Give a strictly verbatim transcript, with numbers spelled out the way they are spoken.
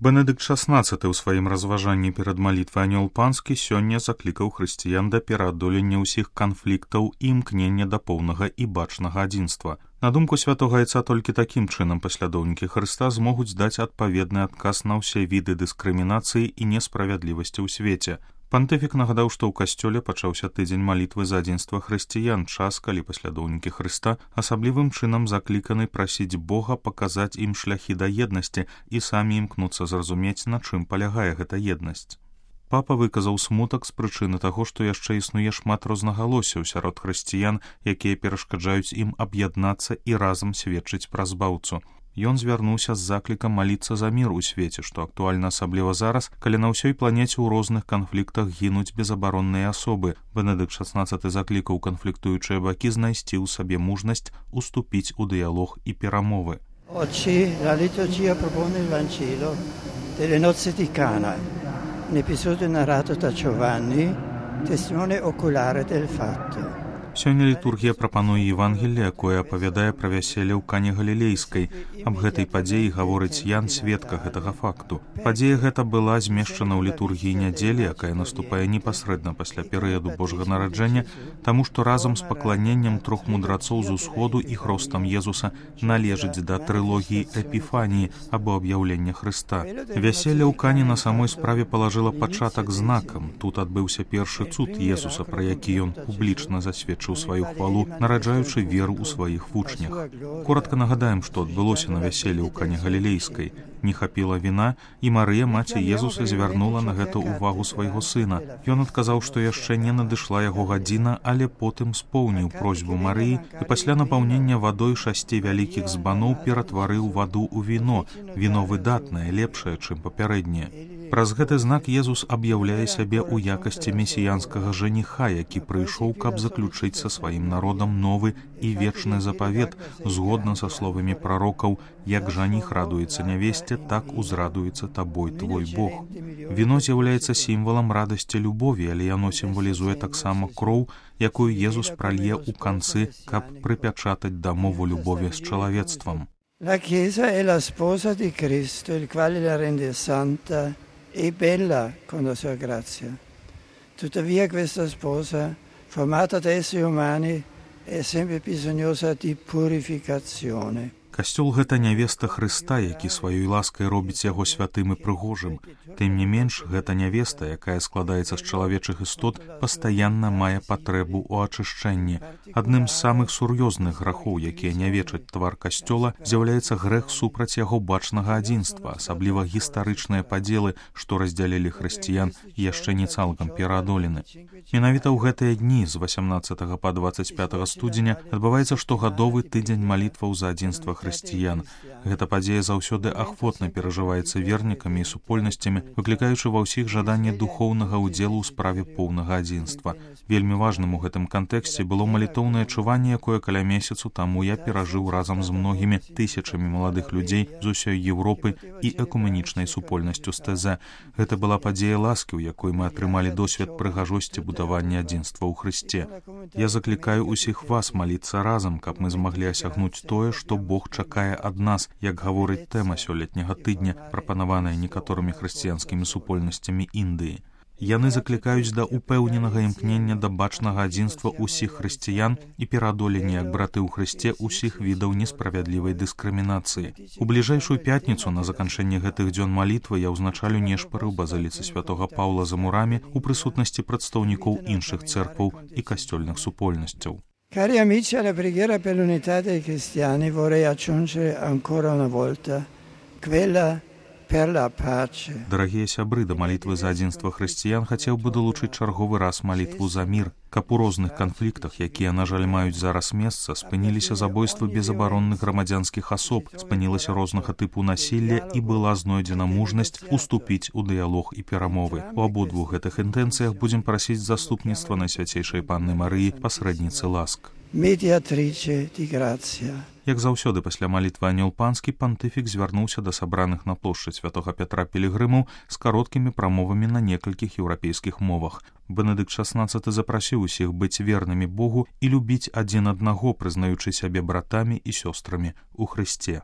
Бенедыкт шаснаццаты ў сваім разважанні перад малітвай Анёл Панскі сёння заклікаў хрысціян да пераадолення ўсіх канфліктаў і імкнення да поўнага і бачнага адзінства. На думку святога Айца, толькі такім чынам паслядоўнікі Хрыста змогуць даць адпаведны адказ на ўсе віды дыскрымінацыі і несправядлівасці ў свеце. Пантыфік нагадаў, што ў касцёле пачаўся тыдзень малітвы за адзінства хрысціян, час, калі паслядоўнікі Хрыста асаблівым чынам закліканы прасіць Бога паказаць ім шляхі да еднасці і самі імкнуцца зразумець, на чым палягае гэта еднасць. Папа выказаў смутак з прычыны таго, што яшчэ існуе шмат рознагалоссяў сярод хрысціян, якія перашкаджаюць ім аб'яднацца і разам сведчыць пра збаўцу. Ён звярнуўся з заклікам маліцца за мір у свеце, што актуальна асабліва зараз, калі на ўсёй планеце ў розных канфліктах гінуць безабаронныя асобы. Бенедыкт шаснаццаты заклікаў канфліктуючыя бакі знайсці ў сабе мужнасць уступіць у дыялог і перамовы. Oggi la liturgia propone il Vangelo delle nozze di Cana, un episodio narrato da Giovanni, testimone oculare del fatto. Сёння літургія прапануе Евангелле, якое апавядае пра вяселле ў Кане Галілейскай. Аб гэтай падзеі гаворыць Ян, сведка гэтага факту. Падзея гэта была змешчана ў літургіі нядзелі, якая наступае непасрэдна пасля перыяду Божага нараджэння, таму што разам з пакланеннем трох мудрацоў з усходу і хростам Езуса належыць да трылогіі Эпіфаніі або аб'яўлення Хрыста. Вяселле ў Кане на самой справе палажыла пачатак знакам. Тут адбыўся першы цуд Езуса, пра які ён публічна засведчыў у сваю хвалу, нараджаючы веру ў сваіх вучнях. Коратка нагадаем, што адбылося на вяселле ў Кане Галілейскай. Не хапіла віна, і Марыя, маці Езуса, звярнула на гэта ўвагу свайго сына. Ён адказаў, што яшчэ не надышла яго гадзіна, але потым споўніў просьбу Марыі і пасля напаўнення вадой шасці вялікіх збаноў ператварыў ваду ў віно. Віно выдатнае, лепшае, чым папярэдняе. Праз гэты знак Езус аб'яўляе сябе ў якасці месіянскага жаніха, які прыйшоў, каб заключыць са сваім народам новы і вечны запавет, згодна са словамі прарокаў: «Як жаніх радуецца нявесце, так узрадуецца табой твой Бог». Віно з'яўляецца сімвалам радасці любові, але яно сімвалізуе таксама кроў, якую Езус пралье ў канцы, каб прыпячатаць дамову любові з чалавецтвам. La Chiesa è la sposa di Cristo, il quale la rende santa e bella con la sua grazia. Tuttavia questa sposa, formata da esseri umani, è sempre bisognosa di purificazione. Касцёл — гэта нявеста Хрыста, які сваёй ласкай робіць яго святым і прыгожым. Тым не менш, гэта нявеста, якая складаецца з чалавечых істот, пастаянна мае патрэбу ў ачышчэнні. Адным з самых сур'ёзных грахоў, якія нявечаць твар касцёла, з'яўляецца грэх супраць яго бачнага адзінства, асабліва гістарычныя падзелы, што раздзялілі хрысціян, яшчэ не цалкам пераадолены. Менавіта ў гэтыя дні з васямнаццатага па дваццаць пятага студзеня адбываецца штогадовы тыдзень малітваў за адзінства хрысціян. Гэта падзея заўсёды ахвотна перажываецца вернікамі і супольнасцямі, выклікаючы ва ўсіх жаданне духоўнага ўдзелу ў справе поўнага адзінства. Вельмі важным у гэтым кантэксце было малітоўнае чуванне, якое каля месяцу таму я перажыў разам з многімі тысячамі маладых людзей з усёй Еўропы і экуменічнай супольнасцю з тэ зэ. Гэта была падзея ласкі, у якой мы атрымалі досвед прыгажосці будавання адзінства ў Хрысце. Я заклікаю усіх вас маліцца разам, каб мы змаглі асягнуць тое, што Бог чакае ад нас, як гаворыць тэма сёлетняга тыдня, прапанаваная некаторымі хрысціянскімі супольнасцямі Індыі. Яны заклікаюць да упэўненага імкнення да бачнага адзінства ўсіх хрысціян і пераадолення, як браты ў Хрысце, усіх відаў несправядлівай дыскрымінацыі. У бліжэйшую пятніцу на заканчэнне гэтых дзён малітвы я ўзначалю нешпары ў базыліцы святога Паўла за мурамі ў прысутнасці прадстаўнікоў іншых цэркваў і касцёльных супольнасцяў. Cari amici, alla preghiera per l'unità dei cristiani vorrei aggiungere ancora una volta quella per la pace. Дарагія сябры, да малітвы за адзінства хрысціян хацеў бы далучыць чарговы раз малітву за мір, каб у розных канфліктах, якія, на жаль, маюць зараз месца, спыніліся забойствы безабаронных грамадзянскіх асоб, спынілася рознага тыпу насілля і была знойдзена мужнасць уступіць у дыялог і перамовы. У абодвух гэтых інтэнцыях будзем прасіць заступніцтва Найсвяцейшай Панны Марыі, пасрэдніцы ласк. Mediatrice di grazia. Як заўсёды пасля малітвы Анёл Панскі, пантыфік звярнуўся да сабраных на плошчы святога Пятра пілігрымаў з кароткімі прамовамі на некалькіх еўрапейскіх мовах. Бенедыкт шаснаццаты запрасіў усіх быць вернымі Богу і любіць адзін аднаго, прызнаючы сябе братамі і сёстрамі ў Хрысце.